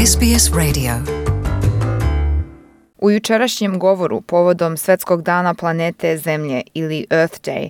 SBS Radio. U jučerašnjem govoru povodom Svetskog dana planete Zemlje ili Earth Day,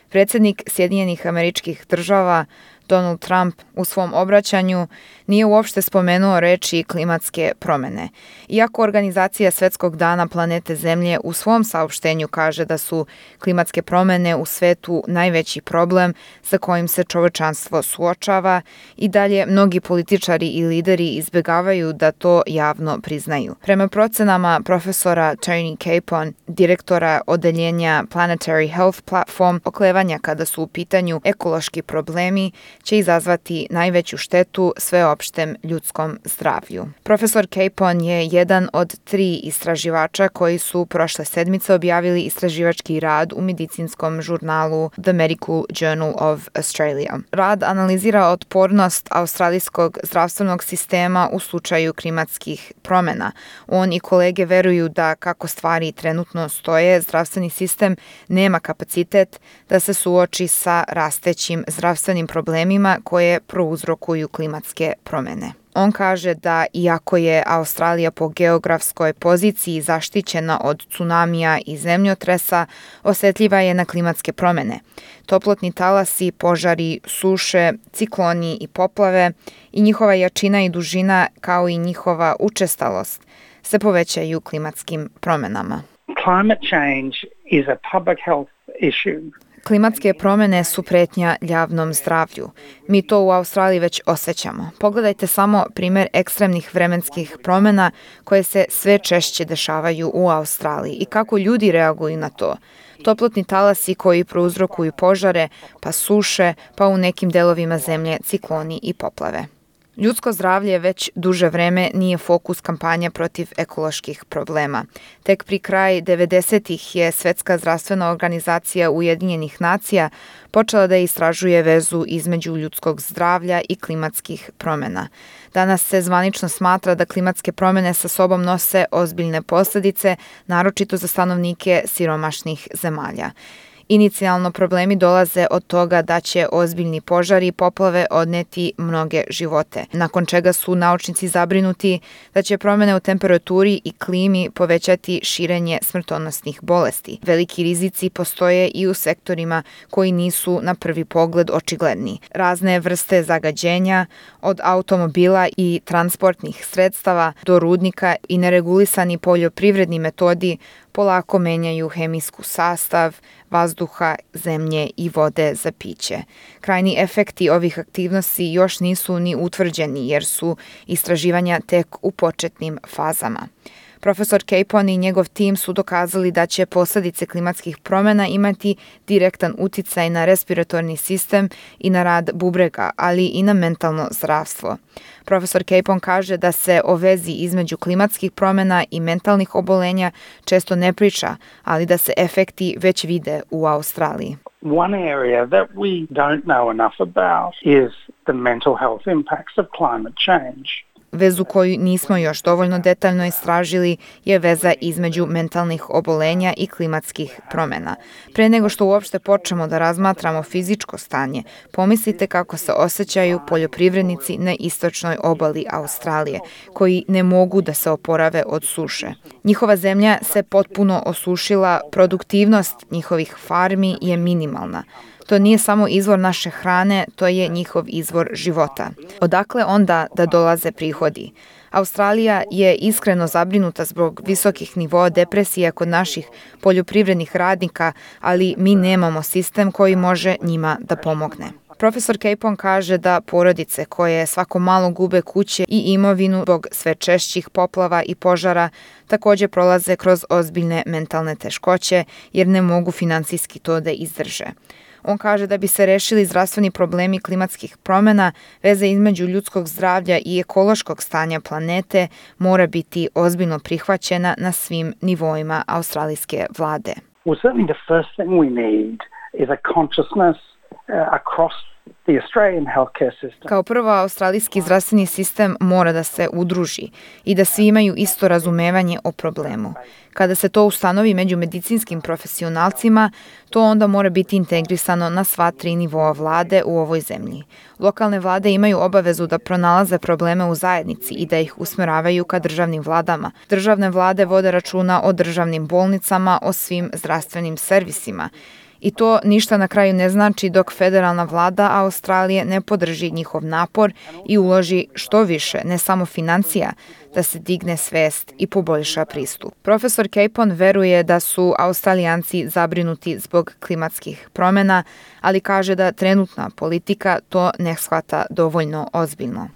predsjednik Sjedinjenih Američkih Država Donald Trump u svom obraćanju nije uopšte spomenuo reči klimatske promjene. Iako organizacija Svetskog dana planete Zemlje u svom saopštenju kaže da su klimatske promjene u svetu najveći problem sa kojim se čovječanstvo suočava, i dalje mnogi političari i lideri izbjegavaju da to javno priznaju. Prema procenama profesora Tony Capon, direktora odeljenja Planetary Health Platform, oklevanja kada su u pitanju ekološki problemi će izazvati najveću štetu sveopštem ljudskom zdravlju. Profesor Capon je jedan od 3 istraživača koji su prošle sedmice objavili istraživački rad u medicinskom žurnalu The Medical Journal of Australia. Rad analizira otpornost australijskog zdravstvenog sistema u slučaju klimatskih promjena. On i kolege veruju da, kako stvari trenutno stoje, zdravstveni sistem nema kapacitet da se suoči sa rastećim zdravstvenim problemima koje prouzrokuju klimatske promjene. On kaže da iako je Australija po geografskoj poziciji zaštićena od tsunamija i zemljotresa, osjetljiva je na klimatske promjene. Toplotni talasi, požari, suše, cikloni i poplave i njihova jačina i dužina, kao i njihova učestalost, se povećaju klimatskim promjenama. Climate change is a public health issue. Klimatske promjene su prijetnja javnom zdravlju. Mi to u Australiji već osjećamo. Pogledajte samo primjer ekstremnih vremenskih promjena koje se sve češće dešavaju u Australiji i kako ljudi reaguju na to. Toplotni talasi koji prouzrokuju požare, pa suše, pa u nekim delovima zemlje cikloni i poplave. Ljudsko zdravlje već duže vreme nije fokus kampanja protiv ekoloških problema. Tek pri kraju 90-ih je Svjetska zdravstvena organizacija Ujedinjenih nacija počela da istražuje vezu između ljudskog zdravlja i klimatskih promjena. Danas se zvanično smatra da klimatske promjene sa sobom nose ozbiljne posljedice, naročito za stanovnike siromašnih zemalja. Inicijalno problemi dolaze od toga da će ozbiljni požari i poplave odneti mnoge živote, nakon čega su naučnici zabrinuti da će promjene u temperaturi i klimi povećati širenje smrtonosnih bolesti. Veliki rizici postoje i u sektorima koji nisu na prvi pogled očigledni. Razne vrste zagađenja, od automobila i transportnih sredstava do rudnika, i neregulisani poljoprivredni metodi polako menjaju hemijsku sastav vazduha, zemlje i vode za piće. Krajni efekti ovih aktivnosti još nisu ni utvrđeni jer su istraživanja tek u početnim fazama. Profesor Capon i njegov tim su dokazali da će posljedice klimatskih promjena imati direktan utjecaj na respiratorni sistem i na rad bubrega, ali i na mentalno zdravstvo. Profesor Capon kaže da se o vezi između klimatskih promjena i mentalnih obolenja često ne priča, ali da se efekti već vide u Australiji. One area that we don't know enough about is the mental health impacts of climate change. Vezu koju nismo još dovoljno detaljno istražili je veza između mentalnih obolenja i klimatskih promjena. Pre nego što uopšte počnemo da razmatramo fizičko stanje, pomislite kako se osjećaju poljoprivrednici na istočnoj obali Australije, koji ne mogu da se oporave od suše. Njihova zemlja se potpuno osušila, produktivnost njihovih farmi je minimalna. To nije samo izvor naše hrane, to je njihov izvor života. Odakle onda da dolaze prihodi? Australija je iskreno zabrinuta zbog visokih nivoa depresije kod naših poljoprivrednih radnika, ali mi nemamo sistem koji može njima da pomogne. Profesor Capon kaže da porodice koje svako malo gube kuće i imovinu zbog sve češćih poplava i požara također prolaze kroz ozbiljne mentalne teškoće jer ne mogu financijski to da izdrže. On kaže da bi se rešili zdravstveni problemi klimatskih promjena, veza između ljudskog zdravlja i ekološkog stanja planete mora biti ozbiljno prihvaćena na svim nivoima australijske vlade. Well, certainly the first thing we need is a consciousness across The Australian healthcare system. Kao prvo, australijski zdravstveni sistem mora da se udruži i da svi imaju isto razumevanje o problemu. Kada se to ustanovi među medicinskim profesionalcima, to onda mora biti integrisano na sva 3 nivoa vlade u ovoj zemlji. Lokalne vlade imaju obavezu da pronalaze probleme u zajednici i da ih usmeravaju ka državnim vladama. Državne vlade vode računa o državnim bolnicama, o svim zdravstvenim servisima. I to ništa na kraju ne znači dok federalna vlada Australije ne podrži njihov napor i uloži što više, ne samo financija, da se digne svest i poboljša pristup. Profesor Capon veruje da su Australijanci zabrinuti zbog klimatskih promjena, ali kaže da trenutna politika to ne shvata dovoljno ozbiljno.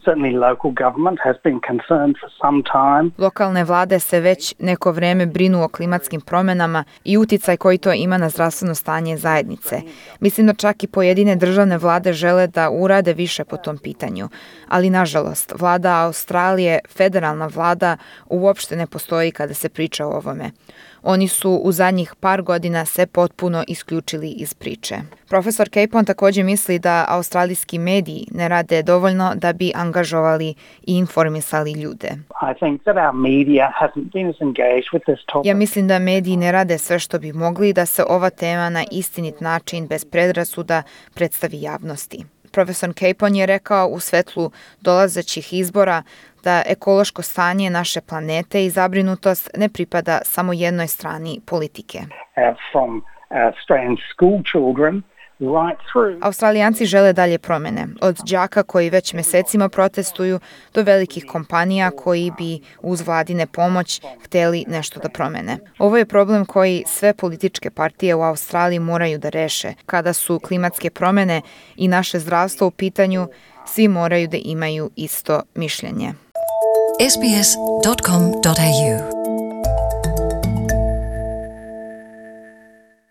Lokalne vlade se već neko vreme brinu o klimatskim promjenama i uticaj koji to ima na zdravstveno stanje zajednice. Mislim da čak i pojedine državne vlade žele da urade više po tom pitanju, ali nažalost, vlada Australije, federalna vlada, uopšte ne postoji kada se priča o ovome. Oni su u zadnjih par godina se potpuno isključili iz priče. Profesor Capon također misli da australijski mediji ne rade dovoljno da bi angažovali i informisali ljude. Ja mislim da mediji ne rade sve što bi mogli da se ova tema na istinit način bez predrasuda predstavi javnosti. Profesor Capon je rekao u svetlu dolazećih izbora da ekološko stanje naše planete i zabrinutost ne pripada samo jednoj strani politike. Australijanci žele dalje promjene, od đaka koji već mjesecima protestuju do velikih kompanija koji bi uz vladine pomoć htjeli nešto da promjene. Ovo je problem koji sve političke partije u Australiji moraju da reše. Kada su klimatske promjene i naše zdravstvo u pitanju, svi moraju da imaju isto mišljenje. sbs.com.au